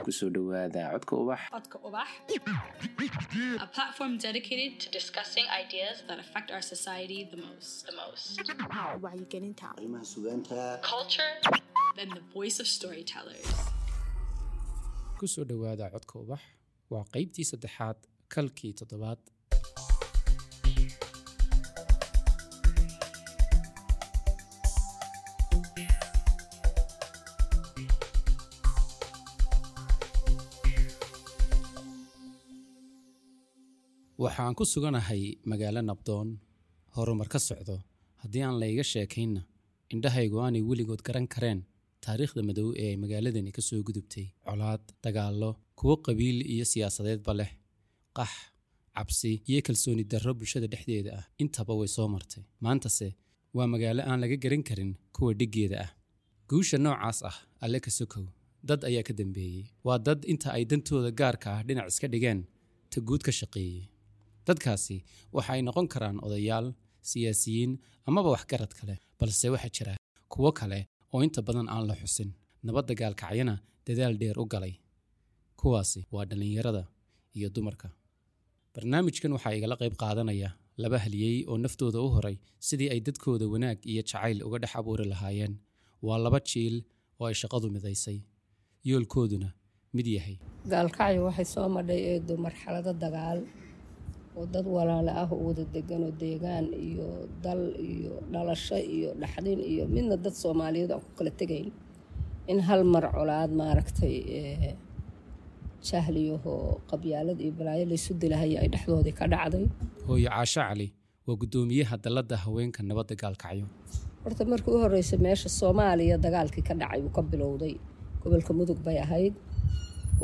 Kusoo dhowaada Codka Ubax. Codka Ubax, a platform dedicated to discussing ideas that affect our society the most. The most. Wacyigelinta. Arrimaha sugaanta. Culture and the voice of storytellers. Kusoo dhowaada Codka Ubax, waa qaybtii saddexaad, kalkii toddobaad. Waxaan ku suganahay magaalo nabdoon, horumar ka socdo. Haddii aan layga sheekaynna, indhahaygu aanay weligood garan kareen taariikhda madow ee ay magaaladani ka soo gudubtay: colaad, dagaallo, kuwo qabiil iyo siyaasadeedba leh, qax, cabsi iyo kalsooni darro bulshada dhexdeeda ah, intaba way soo martay. Maantase waa magaalo aan laga garan karin kuwa dhiggeeda ah. Guusha noocaas ah, alle ka sokow, dad ayaa ka dambeeyey. Waa dad inta ay dantooda gaarka ah dhinac iska dhigeen ta guud ka shaqeeyey. Dadkaasi waxa ay noqon karaan odayaal, siyaasiyiin amaba waxgarad kale, balse waxaa jira kuwo kale oo inta badan aan la xusin, nabadda Gaalkacyana dadaal dheer u galay. Kuwaasi waa dhallinyarada iyo dumarka. Barnaamijkan waxaa igala qayb qaadanaya laba haliyey oo naftooda u horay sidii ay dadkooda wanaag iyo jacayl uga dhex abuuri lahaayeen. Waa laba jiil oo ay shaqadu midaysay, yoolkooduna mid yahay. Gaalkacyo waxay soo madhay, eedo, marxalado dagaal oo dad walaalo ah oo wada degan oo deegaan iyo dal iyo dhalasho iyo dhaxdin iyo midna dad Soomaaliyeed aan ku kala tegayn in hal mar colaad, maaragtay, jahliyahoo qabyaalad iyo balaayo laysu dilahaya ay dhexdoodii ka dhacday. Hooyo Caasho Cali waa guddoomiyaha dalladda haweenka nabadda Gaalkacyo. Horta markii u horreysay meesha Soomaaliya dagaalkii ka dhacay uu ka bilowday gobolka Mudug bay ahayd.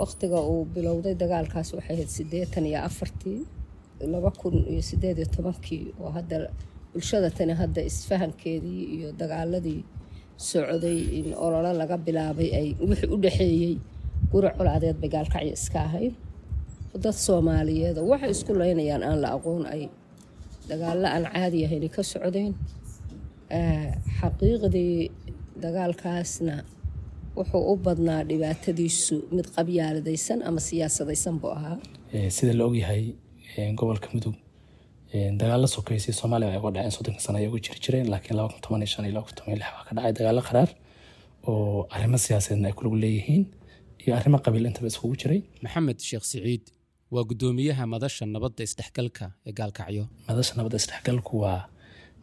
Waqtiga uu bilowday dagaalkaas waxay ahayd 84-tii, 2018-kii, oo hadda bulshada tani hadda isfahankeedii iyo dagaaladii socday in ololo laga bilaabay ay wixii u dhexeeyey guri colaadeed bay Gaalkacyo iska ahayd. Dad Soomaaliyeed oo waxay isku laynayaan aan la aqoon ay dagaallo aan caadi ahayn ka socdeen. Xaqiiqdii dagaalkaasna wuxuu u badnaa dhibaatadiisu mid qabyaaladaysan ama siyaasadaysan buu ahaa. Sida la ogyahay, gobolka Mudug dagaalo sokeysay Soomaaliya ay uga dhaceen 30-ka sano ay uga jiri jireen, laakiin 2015 iyo 2016 waa ka dhacay dagaalo qaraar oo arrimo siyaasadeedna ay ku lug leeyihiin iyo arrimo qabiil intaba iskugu jiray. Maxamed Sheekh Siciid waa guddoomiyaha madasha nabadda isdhexgalka ee Gaalkacyo. Madasha nabadda isdhexgalku waa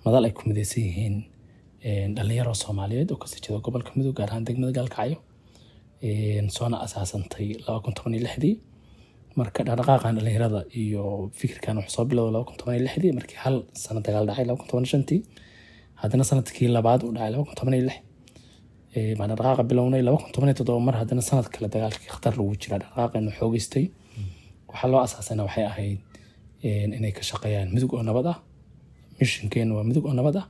madal ay ku mideysan yihiin dhalinyaro Soomaaliyeed oo kasoo jeeda gobolka Mudug, gaar ahaan degmada Gaalkacyo, soona asaasantay 2016-dii. Marka dhaqdhaqaaqan dhalinyarada iyo fikirkan wuxuu soo bilowday 2016-dii, markii hal sano dagaal dhacay 2015-tii, haddana sanadkii labaad uu dhacay 2016 baan dhaqdhaqaaqa bilownay. 2017 mar haddana sanad kale dagaalkii khatar lagu jiraa dhaqdhaqaaqeenu xoogeystay. Waxaa loo asaasayna waxay ahayd inay ka shaqeeyaan Mudug oo nabad ah. Missionkeenu waa Mudug oo nabad ah,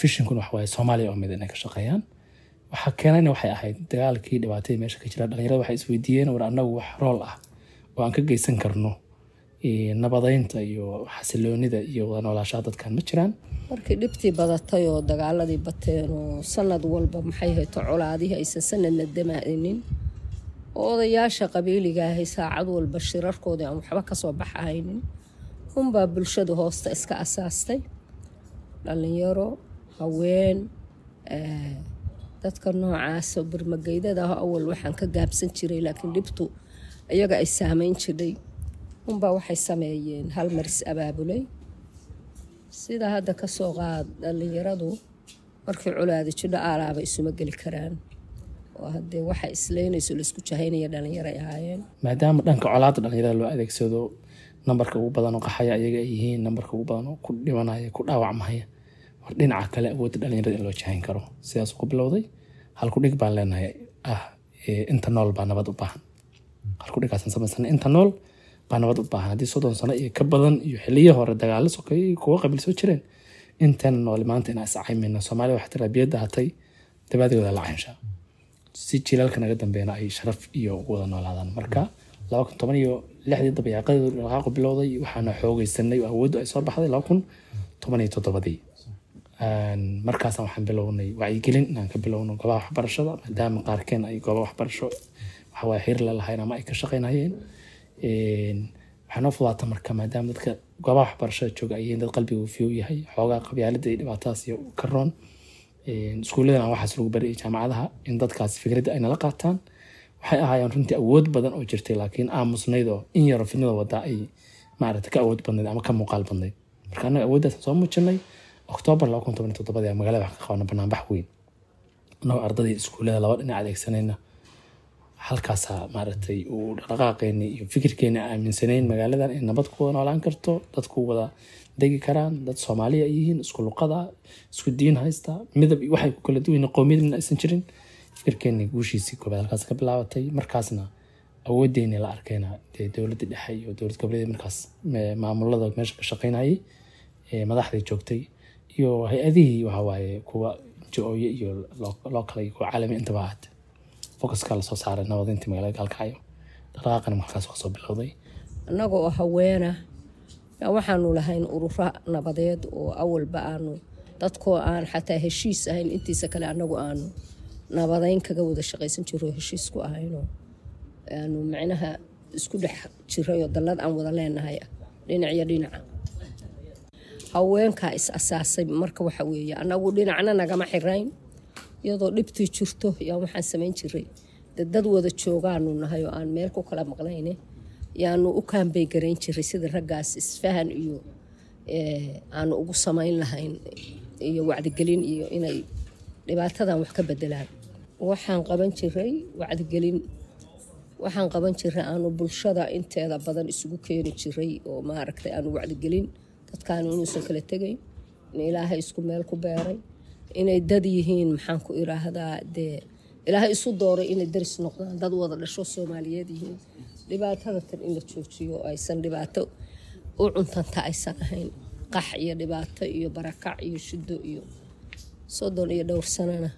visionkuna waxa waaye Soomaaliya oo mid inay ka shaqeeyaan. Waxaa keenayna waxay ahayd dagaalkii, dhibaatadii meesha ka jira. Dhalinyarada waxay isweydiiyeen, war annagu wax rool ah oo aan ka geysan karno nabadeynta iyo xasiloonida iyo wada noolaashaha dadkan ma jiraan. Markii dhibtii badatay oo dagaaladii bateen oo sanad walba, maxay hayto, colaadihii aysan sanadna damaa'inin oo odayaasha qabiiliga ahay saacad walba shirarkoodii aan waxba kasoo baxahaynin, unbaa bulshadu hoosta iska asaastay. Dhalinyaro, haween, dadka noocaasa birmageydada ah awal waxaan ka gaabsan jiray, laakiin dhibtu iyaga ay saameyn jiray, unbaa waxay sameeyeen hal maris abaabulay. Sida hadda kasoo qaad, dhalinyaradu markii colaadi jidho aalaaba isuma geli karaan, oo haddee waxa isleynayso laisku jahaynaya dhalinyaray ahaayeen. Maadaama dhanka colaadda dhalinyarada loo adeegsado, nambarka ugu badan oo qaxaya ayaga ay yihiin, nambarka ugu badan oo ku dhimanaya, ku dhaawacmaya, war dhinaca kale awoodda dhalinyarada in loo jahayn karo, sidaas ku bilowday. Halku dhig baan leenahay ah "Inta nool baa nabad u baahan". Halku dhigaasan samaysanay, "Inta nool baa nabad u baahan". Haddii 30 sano iyo ka badan iyo xiliyo hore dagaalo sokeeye iyo kuwo qabiil soo jireen, intan nool maanta inaan iscaymayna. Soomaaliya waxaa tiraa, biyadda hatay dabaadooda la caynshaa, si jiilaalka naga dambeena ay sharaf iyo ugu wada noolaadaan. Marka 2016-dii dabayaaqadii dhaqaaqu bilowday, waxaana xoogeysanay oo awooddu ay soo baxday 2017-dii. Markaasaan waxaan bilownay wacyigelin inaan ka bilowno goobaha waxbarashada, maadaama qaarkeen ay goobaha waxbarasho Waxawaaye xiriir la lahayn ama ay ka shaqaynayeen. Waxaa noo fudaata marka, maadaama dadka goobaha waxbarashada jooga ay yihiin dad qalbiga uu fiyow yahay, xoogaa qabyaalada iyo dhibaatadaas iyo ka roon, iskuulladan aan waxaas lagu baray iyo jaamacadaha, in dadkaas fikradda ay nala qaataan. Waxay ahaayeen runtii awood badan oo jirtay, laakiin aamusnayd oo in yaroo fidnada wadaa ay maaragtay ka awood badnayd ama ka muuqaal badnayd. Marka annaga awooddaas soo muujinay Oktoobar 2017 ayaa magaalada wax ka qabana banaanbax weyn, annagoo ardadii iskuullada laba dhinac adeegsanayna. Halkaasaa maaragtay uu dhaqdhaqaaqeeni iyo fikirkeeni aaminsanayn magaaladan in nabad ku wada noolaan karto, dadku wada degi karaan, dad Soomaaliya ay yihiin, isku luqada, isku diin haysta, midab iyo waxay ku kala duwan yihiin, qowmiyad midna aysan jirin. Fikirkeeni guushiisii koobaad halkaas ka bilaabatay. Markaasna awoodeeni la arkayna dee dowladda dhexe iyo dowlad goboleed markaas maamulada meesha ka shaqaynayay, madaxdii joogtay iyo hay-adihii, waxa waaye kuwa NGO-ye iyo local iyo kuwa caalami intaba ahaatee, focuska lasoo saaray nabadintii magaalada Gaalkacyo. Dhaqaaqana markaas kasoo bilowday. Annaga oo haweena yaa waxaanu lahayn ururo nabadeed oo awalba aanu dadkoo aan xataa heshiis ahayn intiisa kale annagu aanu nabadeyn kaga wada shaqaysan jiro, heshiis ku ahaynoo aanu micnaha isku dhex jiray oo dallad aan wada leenahay ah dhinac iyo dhinaca. Haweenkaa is asaasay. Marka waxa weeye annagu dhinacna nagama xirayn. Iyadoo dhibtii jirto yaa waxaan samayn jiray dee dad wada joogaanu nahay oo aan meel ku kala maqnayne, yaanu u kaambey garayn jiray sidii raggaas isfahan iyo aanu ugu samayn lahayn iyo wacdigelin iyo inay dhibaatadan wax ka bedelaan. Waxaan qaban jiray wacdigelin, waxaan qaban jiray aanu bulshada inteeda badan isugu keeni jiray oo maaragtay aanu wacdigelin dadkaanu inuusan kala tegayn, in Ilaahay isku meel ku beeray, inay dad yihiin, maxaan ku iraahdaa, dee Ilaahay isu dooray inay daris noqdaan, dad wada dhasho Soomaaliyeed yihiin, dhibaatada tan in la joojiyo oo aysan dhibaato u cuntanta aysan ahayn, qax iyo dhibaato iyo barakac iyo shido iyo 30 iyo dhowr sanana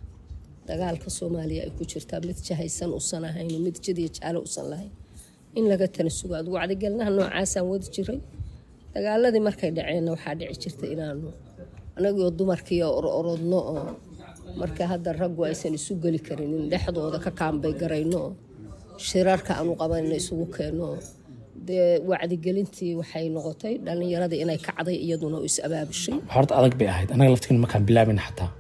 dagaalka Soomaaliya ay ku jirtaa, mid jahaysan usan ahayn, mid jid iyo jaalo usan lahayn, in laga tanasugo. Adigu wacdigelinaha noocaasaan wadi jiray. Dagaaladii markay dhaceenna waxaa dhici jirta inaanu anagoo dumarkii ororodno oo marka hadda raggu aysan isu geli karin in dhexdooda ka kaambay garayno oo shirarka aanu qabanayno isugu keenno oo dee wacdigelintii waxay noqotay dhallinyaradii inay kacday iyaduna oo is abaabushay. Horta adag bay ahayd. Annaga laftigeena markaan bilaabayna xataa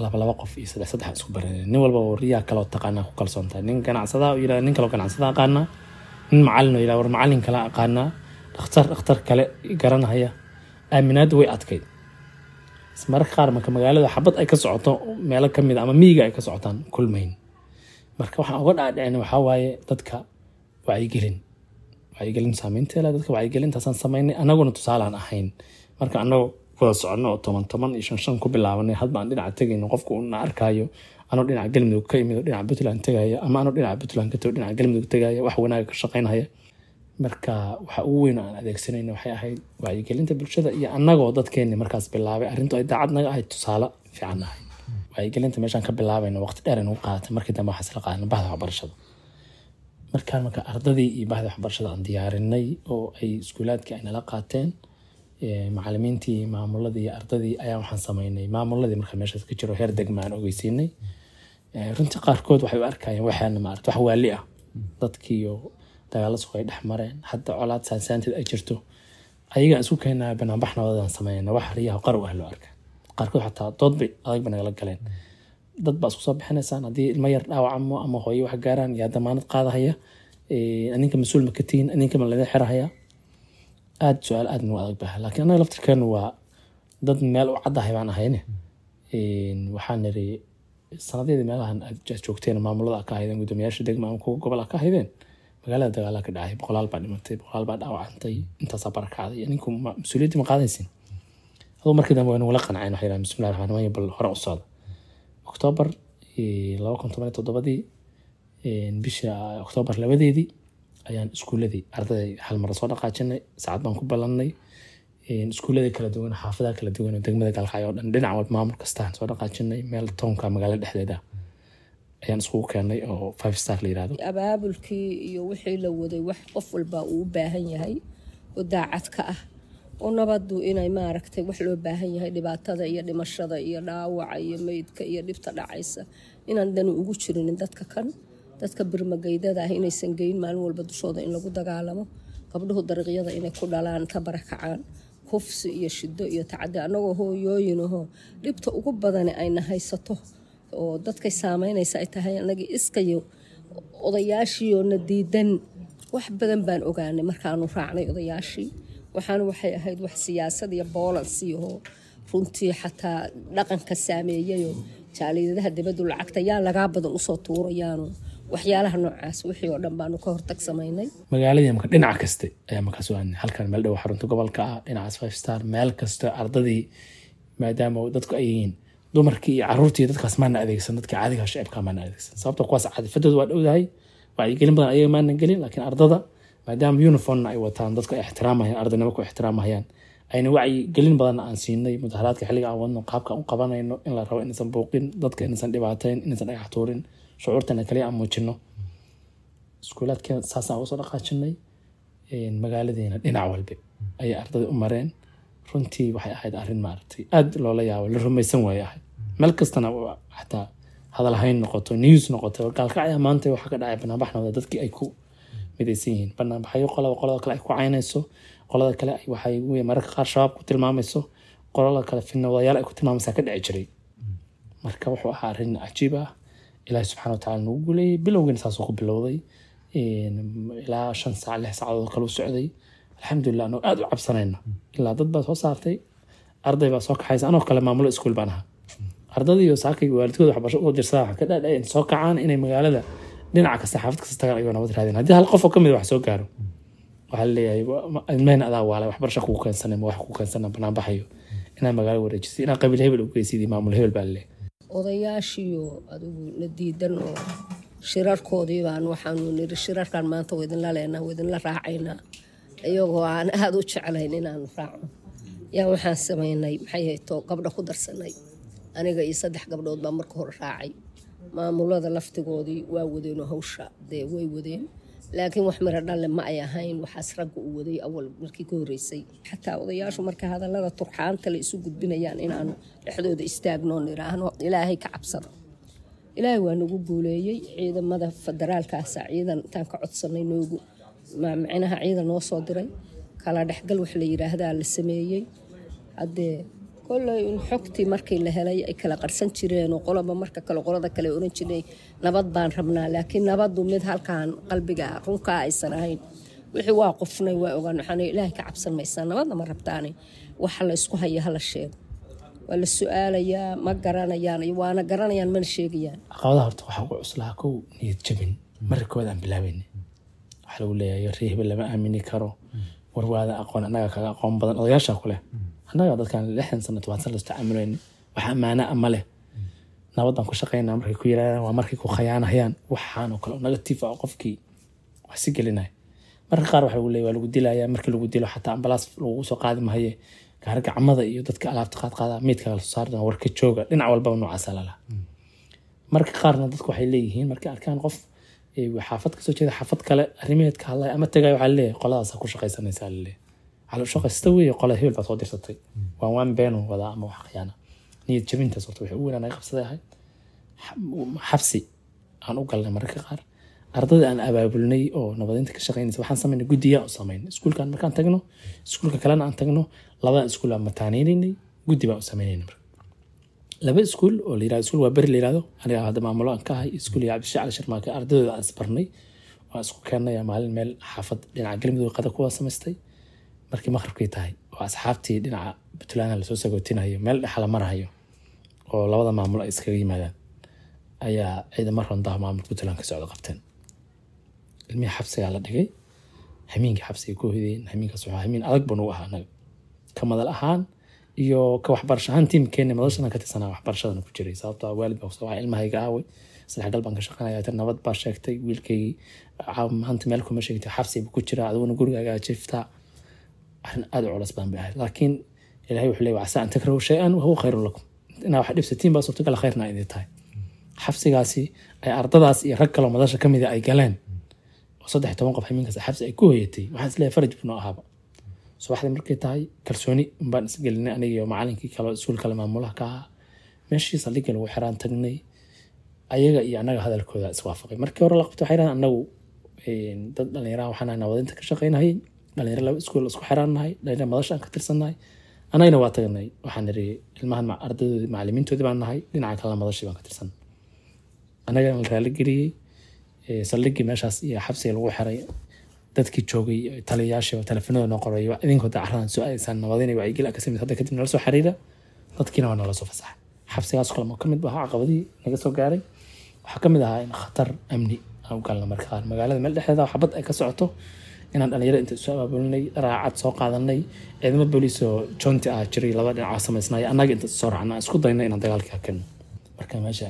laba laba qof iyo saddex saddex isku baranay. Nin walba wariyaa kaloo taqaanaa ku kalsoontahay, nin ganacsadaa oo yidhahda nin kaloo ganacsada aqaanaa, nin macallin oo yidhahda war macallin kale aqaanaa, dhakhtar dhakhtar kale garanaya. Aaminaaddu way adkayd. Mararka qaar marka magaalada xabad ay ka socoto meelo ka mid a ama miyiga ay ka socotaan kulmayn. Marka waxaan uga dhaadhicin waxaa waaye dadka wacyigelin, wacyigelin saameynteeda dadka wacyigelintaasaan samaynay, annaguna tusaalaan ahayn. Marka annagu wada soconno oo toban toban iyo shan shan ku bilaabanay, hadba aan dhinaca tegayno, qofku uu na arkaayo anoo dhinaca Galmudug ka imid oo dhinaca Puntland tegaya, ama anoo dhinaca Puntland ka tago dhinaca Galmudug tegaya, wax wanaaga ka shaqaynaya. Marka waxa ugu weyn oo aan adeegsanayna waxay ahayd wacyigelinta bulshada iyo annagoo dadkeenni markaas bilaabay arrintu ay daacad naga ahayd, tusaale fiican ahayd. Wacyigelinta meeshaan ka bilaabayna waqti dheer ay nagu qaadatay. Markii dambe waxaa isla qaadanay bahda waxbarashada. Markaan marka ardadii iyo bahda waxbarashada aan diyaarinay oo ay iskuulaadkii ay nala qaateen, macallimiintii, maamuladii iyo ardadii, ayaa waxaan samaynay maamuladii marka meeshaas ka jiro heer degma aan ogeysiinay. Runtii qaarkood waxay u arkayeen waxaana maarata wax waali ah, dadkiiyo dagaalo suq ay dhex mareen, hadda colaad saansaanteed ay jirto, ayagaan isku keenaa banaanbax nabadaan sameynaa, wax riyaha qarow ah loo arka. Qaarkood xataa dood bay adag bay nagala galeen: dad baa isku soo bixinaysaan, haddii ilmo yar dhaawacamo ama hooyo wax gaaraan, yaa damaanad qaadahaya? Aninka mas-uul ma ka tihiin? Aninka ma laga xirahaya? Aad su-aal aad nagu adag baha, laakiin annaga laftirkeenu waa dad meel u caddahay baan ahayne. Waxaan niri sanadyadii meelahan aad joogteen, maamulada ka ahaydeen, guddoomiyaasha degma ama kuwa gobol ka ahaydeen, magaalada dagaalaa ka dhacay, boqolaal baa dhimatay, boqolaal baa dhaawacantay, intaasaa barakacday, ninku mas-uuliyaddii ma qaadaysin? Aduu markii dambe way nagula qanceen. Waxay yidhahdeen bismillahi raxmaan raxiim, bal hore u socda. Oktoobar 2017-dii, bisha Oktoobar 2-deedii ayaan iskuuladii ardaday hal mar soo dhaqaajinay. Saacad baan ku ballannay. Iskuuladii kala duwan, xaafadaha kala duwan oo degmada Gaalkacyo oo dhan, dhinac walba maamul kastaan soo dhaqaajinay. Meel townka magaalada dhexdeeda ayaan iskugu keenay oo Five Star la yirahdo. Abaabulkii iyo wixii la waday, wax qof walba uu u baahan yahay oo daacad ka ah oo nabaddu inay maaragtay wax loo baahan yahay, dhibaatada iyo dhimashada iyo dhaawaca iyo meydka iyo dhibta dhacaysa inaan dani ugu jirinin dadka kan. Dadka birmageydada ah inaysan geyn maalin walba dushooda in lagu dagaalamo, gabdhuhu dariiqyada inay ku dhalaan, ka barakacaan, kufsi iyo shido iyo tacadi, annagoo hooyooyinahoo dhibta ugu badani ayna haysato oo dadkay saameynaysa ay tahay annagii iskayo odayaashiioo na diidan. Wax badan baan ogaanay markaanu raacnay odayaashii. Waxaana waxay ahayd wax siyaasad iyo boolansiihoo runtii xataa dhaqanka saameeyayoo jaaliyadaha dibaddu lacagta yaa lagaa badan usoo tuurayaano waxyaalaha noocaas, wixii oo dhan baanu ka hortag samaynay. Magaaladii marka dhinac kaste ayaa markaa soo aadnay. Halkan meel dhow xarunta gobolka ah, dhinacaas Five Star, meel kasta ardadii, maadaama dadku ay yihiin dumarkii iyo caruurtii, dadkaas maana adeegsan, dadka caadiga shacibka maana adeegsan, sababta kuwaas cadifadooda waa dhowdahay, wacyigelin badan ayaga maana gelin. Laakiin ardada maadaama uniformna ay wataan, dadku ay ixtiraamayaan, ardaynimo ku ixtiraamayaan, ayna wacyigelin badan aan siinay mudaharaadka xilliga aan wadno, qaabka aan u qabanayno, in la rabo inaysan buuqin dadka, inaysan dhibaateyn, inaysan dhagax tuurin, shucuurtana kaliya aan muujino. Iskuulaadka saasaan uga soo dhaqaajinay. Magaaladeena dhinac walba ayay ardada u mareen. Runtii waxay ahayd arrin maaragtay aada loola yaabo, la rumaysan waaye ahayd. Meel kastana xataa hadalhayn noqoto, news noqoto, Gaalkacya maanta waxaa ka dhacay banaanbax noqda, dadkii ay ku midaysan yihiin banaanbaxyo, qolaba qolada kale ay ku caynayso, qolada kale waxay mararka qaar Shabaab ku tilmaamayso, qolada kale fidnawadayaal ay ku tilmaamaysaa ka dhici jiray. Marka wuxuu ahaa arrin cajiib ah Ilaahi subxana watacaala nagu guuleeyey. Bilowgiina saasuu ku bilowday, ilaa 5 saac 6 saacadood kale u socday. Alxamdulilah, anoo aada u cabsanayna ilaa dad baa soo saartay, arday baa soo kaxaysa, anoo kale maamulo iskuul baan ahaa, ardadii iyo saakay waalidkooda waxbarasho usoo dirsadaa, waxaan ka dhaadhacay soo kacaan inay magaalada dhinaca kasta, xaafad kasta tagaan ayagoo nabad raadin. Haddii hal qof oo kamid wax soo gaaro, waxaa laleeyahay ilmaheen adaa waalay, waxbarasho kugu keensanay, ma wax kugu keensana banaanbaxayo, inaa magaalo wareejisay, inaa qabiil hebel u geysid, maamul hebel baa laleeyahay. Odayaashiiyo adigu na diidan oo shirarkoodii baan waxaanu niri, shirarkan maanta waa idinla leenaa, waa idinla raacaynaa. Iyagoo aan aada u jeclayn inaanu raacno, yaa waxaan samaynay, maxay hayto, gabdho ku darsanay. Aniga iyo 3 gabdhood baa marka hore raacay. Maamulada laftigoodii waa wadeenoo hawsha dee way wadeen, laakiin wax miro dhalle ma ay ahayn. Waxaas ragga u waday awal markii ka horreysay. Xataa odayaashu marka hadallada turxaanta la isu gudbinayaan inaanu dhexdooda istaagno, niraahno Ilaahay ka cabsada. Ilaahay waa nagu guuleeyey. Ciidamada federaalkaasa ciidan intaan ka codsanay noogu micnaha ciidan noo soo diray, kala dhexgal wax la yiraahdaa la sameeyey. Haddee kolley in xogtii markii la helay ay kala qarsan jireen oo qoloba marka kale qolada kale oran jirnay nabad baan rabnaa, laakiin nabaddu mid halkan qalbiga runkaa aysan ahayn. Wixii waa qofnay, waa ogaan. Waxaan Ilaahay ka cabsan maysaa, nabadna ma rabtaane, waxa la isku haya hala sheego. Waa la su-aalayaa, ma garanayaan, waana garanayaan, mana sheegayaan. Caqabadaha horta waxaa ugu cuslahaa kow niyad jabin. Marka koowaad aan bilaabayna waxaa lagu leeyahay reer hebel lama aamini karo, warwaada aqoon, annaga kaga aqoon badan, odayaasha ku leh, annaga dadkan 60 sano 10 sano lasu tacaamulayna, wax ammaana ama leh, nabad baan ku shaqaynaa markay ku yirahdaan waa markay ku khayaanayaan. Waxaan oo kale oo negative ah oo qofkii wax si gelinaya. Marka qaar waxaa lagu leeyahay waa lagu dilayaa. Markii lagu dilo xataa ambalaas lagugu soo qaadi mahaye, gaari gacmada iyo dadka alaabta qaad qaada meydka la soo saari doona, warka jooga. Dhinac walbaba noocaasa lalaha. Marka qaarna dadku waxay leeyihiin markay arkaan qof xaafad kasoo jeeda xaafad kale arrimaheed ka hadlaya ama tagay, waxaa laleeyahay qoladaas ku shaqaysanaysaa, laleeyahay waxaa la shaqaysta weeye, qola hebel baa soo dirsatay, waan beenu wadaa ama wax khiyaana. Niyad jabintaas horta waxay ugu weynaa naga qabsaday ahayd. Xabsi aan u galnay mararka qaar ardada aan abaabulnay oo nabadeynta ka shaqeynaysa. Waxaan samaynay guddiya u samaynay iskuulkan markaan tagno, iskuulka kalena aan tagno, labadan iskuul aan mataaneynay, guddi baan u samaynayna. Marka laba iskuul oo la yirahdo iskuul waa beri la yirahdo, aniga hadda maamulo aan ka ahay, iskuul iyo Cabdishac Cali Sharmaake, ardadooda aan isbarnay, waan isku keennay maalin meel xaafad dhinaca Galmudug qada kuwa samaystay. Markii maqribkii tahay oo asxaabtii dhinaca Puntland lasoo sagootinayo, meel dhexa la marahayo oo labada maamulo ay iskaga yimaadaan, ayaa ciidamo rondaha maamulka Puntland ka socda qabteen. Ilmihii xabsigaa la dhigay, hamiinka xabsiga ku hoydeen. Hamiinkaas wuxuu hamiin adag buu nagu ahaa anaga ka madal ahaan iyo ka waxbarasho ahaan. Tiimkeena madashan ka tirsanaa waxbarashadana ku jiray, sababtoo ah waalid baa kusoo wacay, ilmahayga aaway, isdhexgal baan ka shaqeynaya, tan nabad baa sheegtay, wiilkaygii maanta meel kuma sheegtay, xabsi buu ku jiraa, adiguna gurigaaga jiiftaa. Arrin aad u culus badan bay ahayd, laakiin Ilaahay wuxuu leeyahay casaa an takrahu shay-an wahuwa khayrun lakum, inaa wax dhibsatiin baa suurtagal, khayrna idin tahay. Xabsigaasi ay ardadaas iyo rag kaloo madasha kamid ay galeen oo 13 qof hamiinkaas xabsi ay ku hoyatay, waxaan isleeyahay faraj buu noo ahaaba. Subaxdii markay tahay kalsooni unbaan isgelinay aniga iyo macalinkii kale iskuul kale maamulaha ka ahaa. Meeshii saldhigga lagu xiraan tagnay. Ayaga iyo annaga hadalkooda iswaafaqay. Markii hore la qabto waxay yidhahdeen, annagu dad dhalinyaraha waxaan nahay nabadeynta ka shaqeynayay, dhalinyaro laba iskuul isku xiraannahay, dhalinyaro madasha aan ka tirsannahay. Annagana waa tagnay, waxaan niri ilmahan ardadoodii macallimiintoodii baan nahay, dhinaca kalena madashii baan ka tirsan. Annagana la raaligeliyey. Saldhiggii meeshaas iyo xabsiga lagu xiray dadkii joogay, taliyayaashii telefoonada noo qoray, idinkoo dacaradan soo aadaysaan nabadeyn iyo wacyigeli ka samid hadda kadib nala soo xiriira. Dadkiina waa noola soo fasaxay. Xabsigaas kale ka mid ahaa caqabadihii naga soo gaaray. Waxaa ka mid ahaa in khatar amni aan u galno marka qaar, magaalada meel dhexdeeda xabad ay ka socoto, inaan dhalinyaro inta isu abaabulinay, raacad soo qaadanay, ciidamo booliis oo joonti ah jiray laba dhinac samaysnay, annaga inta soo raacna isku daynay inaan dagaalkii hakano. Marka meesha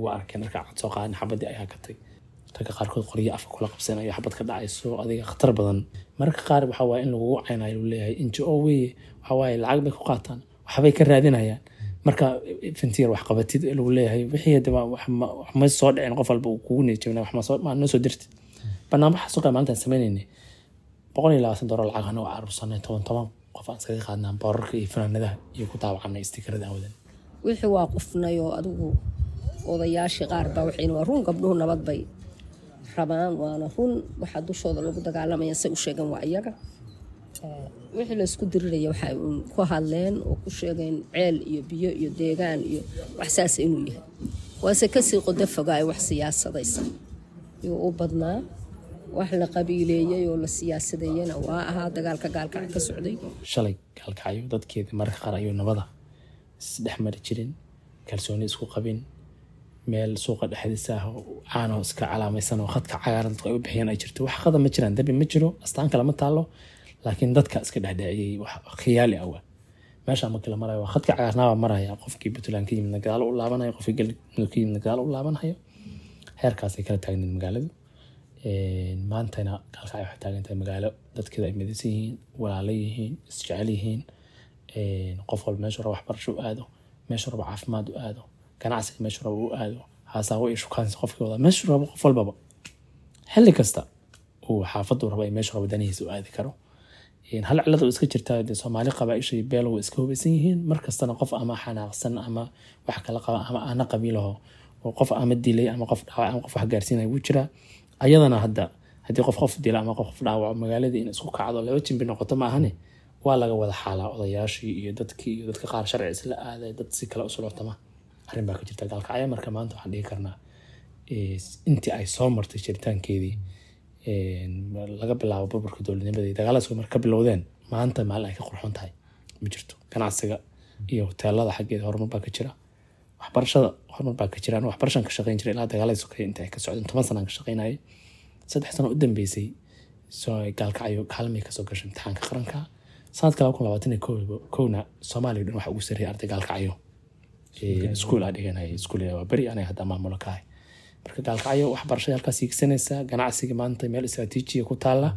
waa arkeen marka cad soo qaadan, xabadii ay hakatay, ragga qaarkood qoryo afka kula qabsanayo, xabad ka dhacayso, adiga khatar badan. Mararka qaar waxa waaye in lagugu caynayo, lagu leeyahay NGO weye, waxa waaye lacag bay ku qaataan, waxbay ka raadinayaan. Marka fintiir wax qabatid lagu leeyahay wixii hadaba wax ma soo dhicin, qof walba uu kugu niyad wax ma soo ma noo soo dirtid. Barnaamijka suuqa maalintaan sameynaynay $120 lacag anagoo carursanay, toban toban qof aan iskaga qaadnaa boorarka iyo fanaanadaha iyo ku daawacanay istikarada aan wadan. Wixii waa qufnay oo adigu odayaashii qaar baa waxayna waa run, gabdhuhu nabad bay rabaan, waana run waxaa dushooda lagu dagaalamaya, say u sheegeen waa iyaga. Wixii laysku diriraya waxay uun ku hadleen oo ku sheegeen ceel iyo biyo iyo deegaan iyo wax saas inuu yahay, waase kasii qodo fogaay, wax siyaasadaysa yuu u badnaa, wax la qabiileeyey oo la siyaasadeeyena waa ahaa dagaalka Gaalkacyo ka socday. Shalay Gaalkacyo dadkeedii mararka qaar ayuu nabada isdhex mari jirin, kalsooni isku qabin, meel suuqa dhexdiisa ah caanoo iska calaamaysan oo khadka cagaaran dadku ay u bixiyaan ay jirto. Wax khada ma jiraan, dambi ma jiro, astaan kale ma taalo, laakiin dadka iska dhexdheciyey wax khiyaali ah. Waa meesha markii la marayo waa khadka cagaarnaabaa maraya, qofkii Puntland ka yimidna gadaal u laabanayo, qofkii Galmudug ka yimidna gadaal u laabanayo. Heerkaasay kala taagneed magaaladu. Maantana Gaalkacyo waxay taagan tahay magaalo dadkeeda ay midaysan yihiin, walaalo yihiin, isjecel yihiin, qof walba meeshu rabo waxbarasho u aado, meeshu rabo caafimaad u aado, ganacsiga meeshu rabo u aado, haasaawo iyo shukaansi qofkii wada meeshu rabo, qof walbaba xilli kasta uu xaafaddu rabo iyo meeshu rabo danihiisa u aadi karo. Hal cilad oo iska jirtaa dee, Soomaali qabaaisha iyo beel way iska hubaysan yihiin. Mar kastana qof ama xanaaqsan ama wax kala qaba ama aana qabiilaho oo qof ama dilay ama qof dhaawac ama qof wax gaarsiinaya wuu jiraa. Ayadana hadda haddii qof qof dila ama qof qof dhaawaco, magaaladii in isku kacdo laba jimbi noqoto ma ahane, waa laga wada xaalaa odayaashii iyo dadkii iyo dadka qaar sharci isla aaday, dad si kale u suloctama. Arrin baa ka jirta Gaalkacyo. Marka maanta waxaan dhihi karnaa intii ay soo martay jiritaankeedii, laga bilaabo burburka dowladnimadii, dagaaladaas marka ka bilowdeen, maanta maalin ay ka qurxoon tahay ma jirto. Ganacsiga iyo hoteelada xaggeeda horumar baa ka jira, waxbarashada horumar baa ka jira. Anigu waxbarashan ka shaqeyn jiray ilaa dagaaladii sokeeye inta ay ka socdeen, 10 sanaan ka shaqeynayay. 3 sano u dambeysay soo Gaalkacyo kaalmay kasoo gashay imtixaanka qaranka. Sanadka 2021-na Soomaaliya dhan waxa ugu sarreeyay arday Gaalkacyo iskuul aa dhiganayay, iskuul waa beri aniga hadda maamulo ka ahay. Marka Gaalkacyo waxbarashada halkaas hiigsanaysa, ganacsiga maanta meel istaraatiijiya ku taala,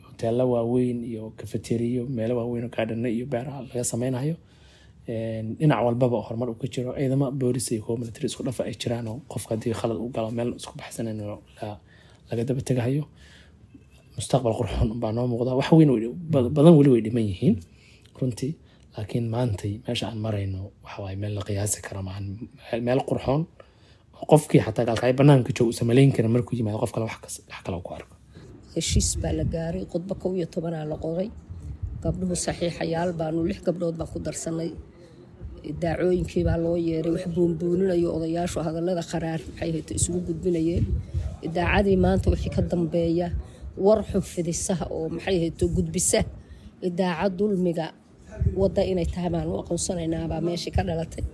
hoteelo waaweyn iyo kafeteriyo, meelo waaweyn oo gaadhano iyo beeraha laga sameynayo, dhinac walbaba horumar uu ka jiro, ciidamo boolis iyo kuwa military isku dhafa ay jiraan oo qofka haddii khalad u galo meel isku baxsanayn oo laga daba tegahayo. Mustaqbal qurxoon baa noo muuqda. Wax weyn badan weli way dhiman yihiin runtii, laakiin maantay meesha aan marayno waxa waaye meel la qiyaasi karo maahan, meel qurxoon oo qofkii xataa Gaalkacyo banaanka jooga uusan malayn karin markuu yimaado qof kale wax kale uu ku arko. Heshiis baa la gaaray, khudbo 11-aa la qoray, gabdhuhu saxiixayaal baanu 6 gabdhood baan ku darsanay. Daacooyinkii baa loo yeeray, wax buunbuuninayo odayaashu hadallada qaraar maxay hayto isugu gudbinayeen. Idaacadii maanta wixii ka dambeeya war xun fidisaha oo maxay hayto gudbisa idaacad dulmiga wadda inay tahay baan u aqoonsanaynaa meeshii ka dhalatay.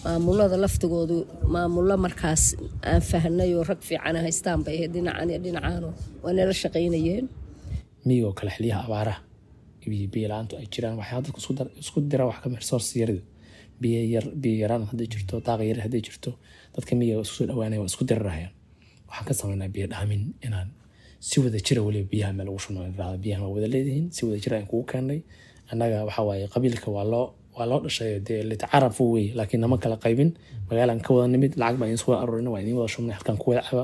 Maamulada laftigoodu maamullo markaas aan fahnay oo rag fiican haystaan bay ahayd, dhinacan iyo dhinacaano waa nala shaqaynayeen. Miyigoo kale xiliyaha abaaraha iyo biyo la-aantu ay jiraan, waxaa dadku isku dira wax kamid resource yarida, biyo yar, biyo yaraan hadday jirto, daaqa yar hadday jirto, dadka miyiga isku soo dhawaanaya waa isku dirirahayaan. Waxaan ka sameynaa biyo dhaamin, inaan si wada jira weliba biyaha meel ugu shubno, biyahan waa wada leedihiin, si wada jira aan kugu keennay. Annaga waxa waaye qabiilka waa loo dhashay dee litacarafu wey, laakiin nama kala qaybin. Magaalaan ka wada nimid, lacag baan idin soo wada aruurinay, waa idin wada shubnay, halkan ku wada caba,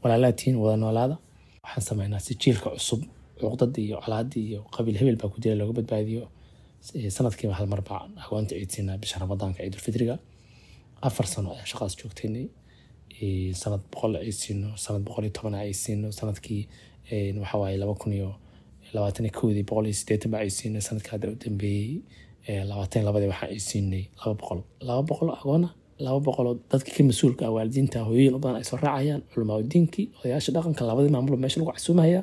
walaalaa tihiin, wada noolaada. Waxaan sameynaa si jiilka cusub cuqdadii iyo colaadii iyo qabiil hebel baa ku jira looga badbaadiyo. Sanadkiiba hal mar baa agoonta ciidsiinaa, bisha Ramadaanka, ciidulfitriga. 4 sano ayaan shaqadaas joogtaynay. Sanad 100 ay siino, sanad 110 ay siino, sanadkii waxa waaye 2021-dii 180 ba ay siinay, sanadka hadda u dambeeyey 22-dii waxa ay siinay 200, 200 agoona, 200 oo dadka ka mas-uulka ah, waalidiinta, hooyooyin u badan ay soo raacayaan, culamaaudiinkii, odayaasha dhaqanka, labadii maamulo meesha lagu casuumaya.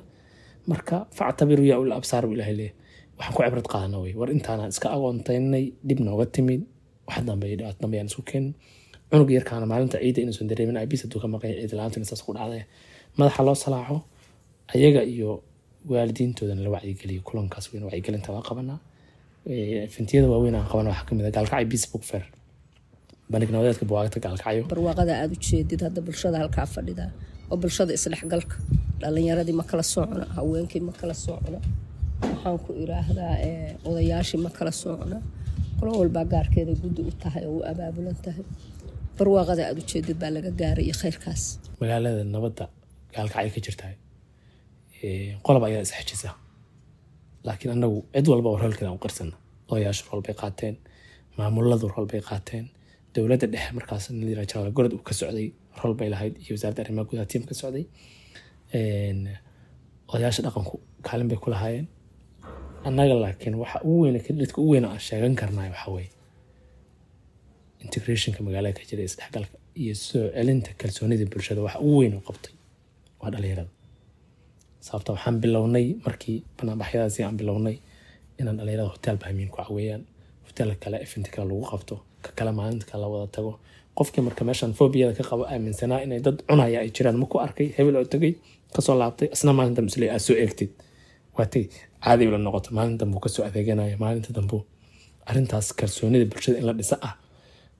Marka فاعتبروا يا أولي الأبصار buu Ilaahay leeyahay. Waxaan ku cibrad qaadana wey war intaanaan iska agoontaynay, dhib nooga timid, wax dambe iyo dhibaato dambe yaan isku keenin. Cunug yarkaana maalinta ciidda inuusan dareemin aabiis hadduu ka maqan yahay, ciid la-aantu saas ku dhacday, madaxa loo salaaxo ayaga iyo waalidiintoodana la wacyigeliyo. Kulankaas weyn wacyigelinta waa qabanaa. Eventiyada waaweyn aan qabana waxaa kamid ah Gaalkacyo Peace Book Fair, bandhig nabadeedka buugaagta Gaalkacyo. Barwaaqada aada u jeedid hadda bulshada halkaa fadhida oo bulshada isdhexgalka, dhalinyaradii ma kala socona, haweenkii ma kala socona, waxaan ku iraahdaa odayaashii ma kala socona, qolo walbaa gaarkeeda guddi u tahay oo u abaabulan tahay. Barwaaqada aada u jeedid baa laga gaaray iyo khayrkaas. Magaalada nabadda Gaalkacyo ka jirtahay, qolob ayaa isxejisa, laakiin annagu cid walba oo roolkeeda aan u qirsana. Odayaashu role bay qaateen, maamuladu role bay qaateen, dowladda dhexe markaas nin la yiraahdo Jenaraal Gorod uu ka socday role bay lahayd, iyo wasaaradda arrimaha gudaha team ka socday. Odayaasha dhaqanku kaalin bay ku lahaayeen. Annaga laakiin waxa ugu weyn, credit-ka ugu weyn aan sheegan karnaay waxa weeye integrationka magaalada ka jira, isdhexgalka iyo soo celinta kalsoonida bulshada. Waxa ugu weyn oo qabtay waa dhalinyarada, sababta waxaan bilownay markii banaanbaxyadaasi aan bilownay inaan dhalinyarada hotel bahamiin ku caweeyaan, hotel kale event kale lagu qabto, ka kale maalinta kale la wada tago. Qofkii marka meeshan phobia-da ka qabo, aaminsanaa inay dad cunaya ay jiraan, ma ku arkay hebel oo tagay kasoo laabtay, isna maalinta misle aad soo eegtid waatay caadi ula noqoto, maalinta dambu kasoo adeeganaya, maalinta dambu. Arrintaas kalsoonida bulshada in la dhisa ah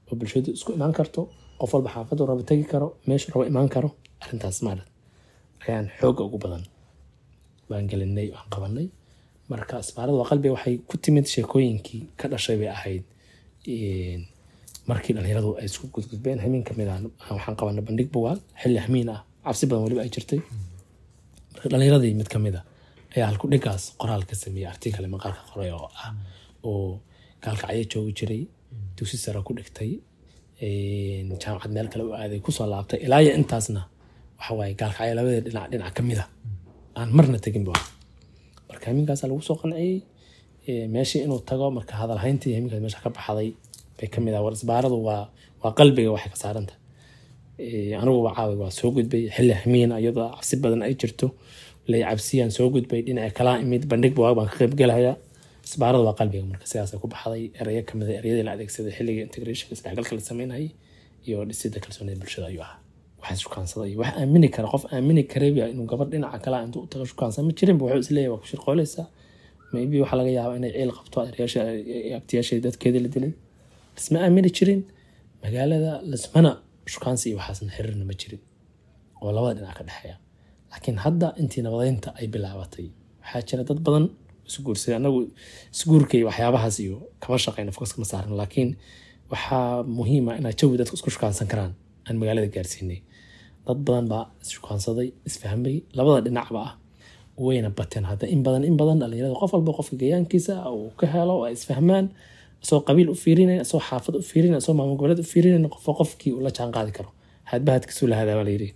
oo bulshadu isku imaan karto, qof walba xaafadu rabo tegi karo, meeshu rabo imaan karo, arrintaas maarat ayaan xoogga ugu badan baan gelinay, aan qabanay. Marka Isbaarada waa Qalbiga waxay ku timid sheekooyinkii ka dhashay bay ahayd markii dhalinyaradu ay isku gudgudbeen. Hameen kamid ah waxaan qabanay bandhig buugaag xilli hamiin ah, cabsi badan weliba ay jirtay. Marka dhalinyaradii mid kamid ah ayaa halku dhigaas qoraal ka sameeyey, article maqaalka qoray oo ah oo Gaalkacyo joogi jiray, dugsi sare ku dhigtay, jaamacad meel kale u aaday, kusoo laabtay, ilaa iyo intaasna waxa waaye Gaalkacyo labada dhinac dhinac kamid ah aan marna tegin bu. Marka hamiinkaasaa lagu soo qanciyey meeshii inuu tago. Marka hadalhayntii hamiinkaas meesha ka baxday bay kamid ah war isbaaradu waa qalbiga waxay ka saarantahay. Anigu waa caawi waa soo gudbay xilli hamiin iyadoo cabsi badan ay jirto, lay cabsiyaan soo gudbay, dhinaca kalaa imid, bandhig buugaag baan ka qayb gelayaa, isbaaradu waa qalbiga. Marka sidaasay ku baxday erayo kamid ah ereyadii la adeegsaday xilliga integrationka, isdhexgalka la sameynayay iyo dhisida kalsoonida bulshada ayuu ahaa. Waxaan shukaansaday wax aamini kara, qof aamini karayba inuu gabadh dhinaca kale intuu u tago shukaansan ma jirin. Wuxuu isleeyahay waa ku shirqooleysaa, maybe waxaa laga yaabaa inay ciil qabto adeeryaasha, abtiyaasha, dadkeedii la dilay. Lisma aamini jirin magaalada, lismana shukaansi iyo waxaasna xiriirna ma jirin oo labada dhinac ka dhexeeya. Laakiin hadda intii nabadeynta ay bilaabatay waxaa jira dad badan isguursaday. Anagu isguurka iyo waxyaabahaas iyo kama shaqeyno, focus kama saarno, laakiin waxaa muhiim ah inaa jawi dadku isku shukaansan karaan aan magaalada gaarsiinay. Dad badan baa isshukaansaday, isfahmay, labada dhinacba ah, wayna bateen hadda in badan, in badan dhalinyarada qof walba qofka gayaankiisa uu ka helo oo ay isfahmaan, isagoo qabiil u fiirinayn, isagoo xaafad u fiirinayn, isagoo maamul goboleed u fiirinayn, qofka qofkii uu la jaan qaadi karo, hadba hadkiisuu la hadaa baa layidhi.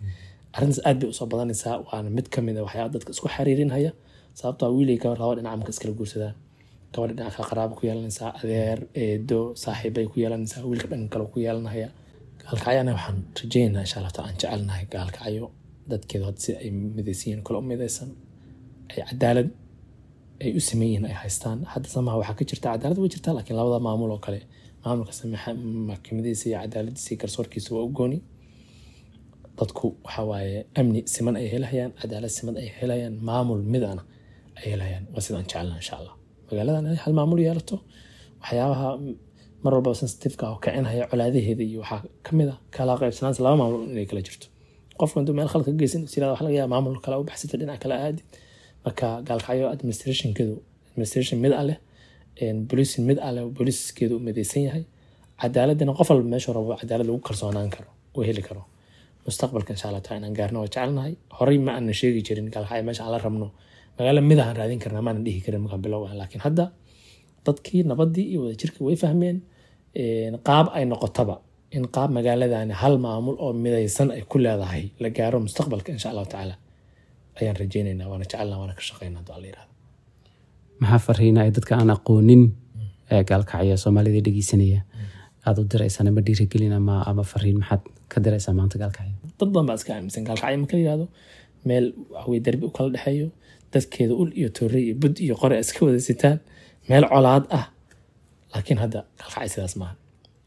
Arrintaas aad bay usoo badanaysaa, waana mid kamid a waxyaaba dadka isku xiriirinhaya, sababtoo wiil iyo gabar laba dhinac marka iskala guursadaan, gabadha dhinaca kale qaraabo ku yeelanaysaa, adeer, eedo, saaxiibbay ku yeelanaysaa, wiilka dhanka kale ku yeelanaya. Gaalkacyana waxaan rajeynaynaa insha Allah taala, aan jecelnahay Gaalkacyo dadkeedu hadda si ay midaysan yihiin kale u midaysan, ay cadaalad ay u sameyn yihiin ay haystaan. Hadda samaha waxaa ka jirta cadaalad way jirtaa, laakiin labada maamul oo kale, maamulka maxkamadiisa iyo cadaaladiisa iyo garsoorkiisa waa u gooni. Dadku waxa waaye amni siman ay helayaan, cadaalad siman ay helayaan, maamul midana ay helayaan. Waa sidaan jecelnahay insha Allah magaaladan inay hal maamul yeelato. Waxyaabaha mar walba sensitive-ka oo kicinhaya colaadaheeda iyo waxaa kamid ah kala qaybsanaanta laba maamul inay kala jirto. Qofku intuu meel khalad ka geysan is yirahdo, waxa laga yaabaa maamul kale u baxsata, dhinac kale aadid. Marka Gaalkacyo administrationkeedu administration mid ah leh, policing mid ah leh, booliiskeedu u midaysan yahay, cadaaladana qof walba meeshuu rabo cadaalad lagu kalsoonaan karo uu heli karo. Mustaqbalka insha Allah taala inaan gaarno waa jecelnahay. Horey ma aanan sheegi jirin Gaalkacyo meesha aan la rabno, magaalo mid aan raadin karnaa maanan dhihi karin markaan bilow ah, laakiin hadda dadkii nabadii iyo wadajirkii way fahmeen qaab ay noqotaba. In qaab magaaladani hal maamul oo midaysan ay ku leedahay la gaaro mustaqbalka, insha Allahu tacaala, ayaan rajaynaynaa, waana jecelnaa, waana ka shaqeynaa hadduu Alla yirahdo. Maxaa fariina ay dadka aan aqoonin ee Gaalkacyo, Soomaalida dhegeysanaya, aada u diraysaan ama dhiirigelin ama fariin maxaad ka diraysaa maanta Gaalkacyo? Dad badan baa iska aaminsan Gaalkacyo marka la yihahdo meel waxaweye darbi u kala dhexeeyo, dadkeeda ul iyo toorey iyo bud iyo qore iska wada sitaan, meel colaad ah. Laakiin hadda Gaalkacyo sidaas maaha.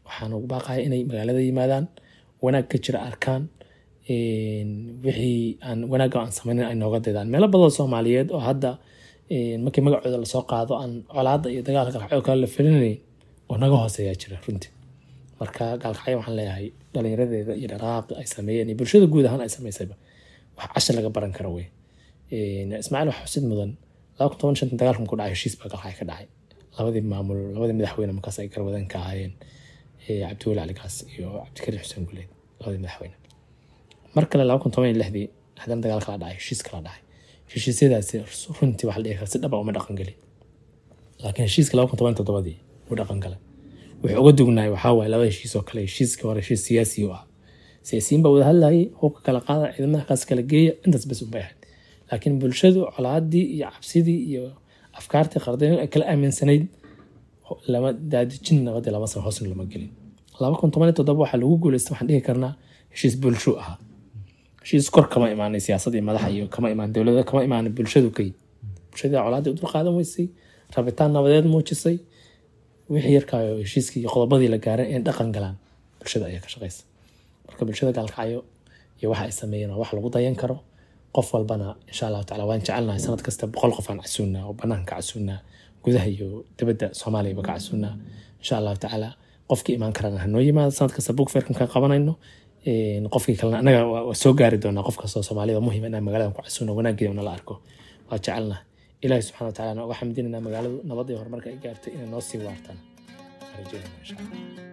Waxaan ugu baaqaya inay magaalada yimaadaan, wanaag ka jira arkaan, wixii aan wanaagga aan samaynin ay nooga daydaan. Meelo badan oo Soomaaliyeed oo hadda markii magacooda lasoo qaado aan colaadda iyo dagaalka Gaalkacyo kale la filinayn oo naga hooseeyaa jira runtii. Marka Gaalkacyo waxaan leeyahay dhalinyaradeeda iyo dhaqaaqa ay sameeyeen iyo bulshada guud ahaan ay samaysayba wax cashar laga baran karo wey. Ismaaciil, wax xusid mudan, 2015 dagaalka markuu dhacay, heshiis baa Gaalkacyo ka dhacay. Labadii maamul, labadii madaxweyne markaas ay garwadeen ka ahaayeen Cabdiweli Cali Gaas iyo Cabdikariin Xuseen Guleed, labadii madaxweyne. Mar kale 2016-dii haddana dagaal kala dhacay, heshiis kala dhacay. Heshiisyadaasi runtii waxa la dhihi karaa si dhaba uma dhaqan gelin, laakiin heshiiska 2017-dii wuu dhaqan galay. Wuxuu uga dugnaay waxaa waaye laba heshiis oo kale. Heshiiska hore heshiis siyaasi u ah, siyaasiyiin baa wada hadlayay, hubka kala qaada, ciidamada kaas kala geeya, intaas bas unbay ahayd. Laakiin bulshadu colaadii iyo cabsidii iyo afkaartii qardayn ay kala aaminsanayd lama daadijin, nabadii lama sano hoosna lama gelin. 2017 waxaa lagu guuleystay, waxaan dhihi karnaa, heshiis bulsho ahaa. Heshiis kor kama imaanay siyaasad iyo madaxa iyo kama imaan dowladda, kama imaanay bulshadu kay. Bulshadii colaadii u dulqaadan weysay, rabitaan nabadeed muujisay. Wixii yarkaayo heshiiskii iyo qodobadii la gaaray in dhaqan galaan bulshada ayaa ka shaqeysa. Marka bulshada Gaalkacyo iyo waxa ay sameeyeen waa wax lagu dayan karo. Qof walbana, insha Allahu tacala, waan jecelnahay sanad kasta 100 qof aan casuunnaa oo banaanka casuunnaa, gudaha iyo dibadda Soomaaliyaba ka casuunnaa. Insha Allahu tacaala, qofkii imaan karana hanoo yimaado. Sanad kasta book fairkan ka qabanayno, qofkii kalena anaga waa soo gaari doonaa. Qof kastoo Soomaalida muhiim inaan magaaladan ku casuuno, wanaageeda nala arko waa jecelnahay. Ilaahi subxana wa tacala uga xamdinaynaa magaaladu nabadda iyo horumarka ay gaartay. Inay noo sii waartaan rajeynayna, insha Allah.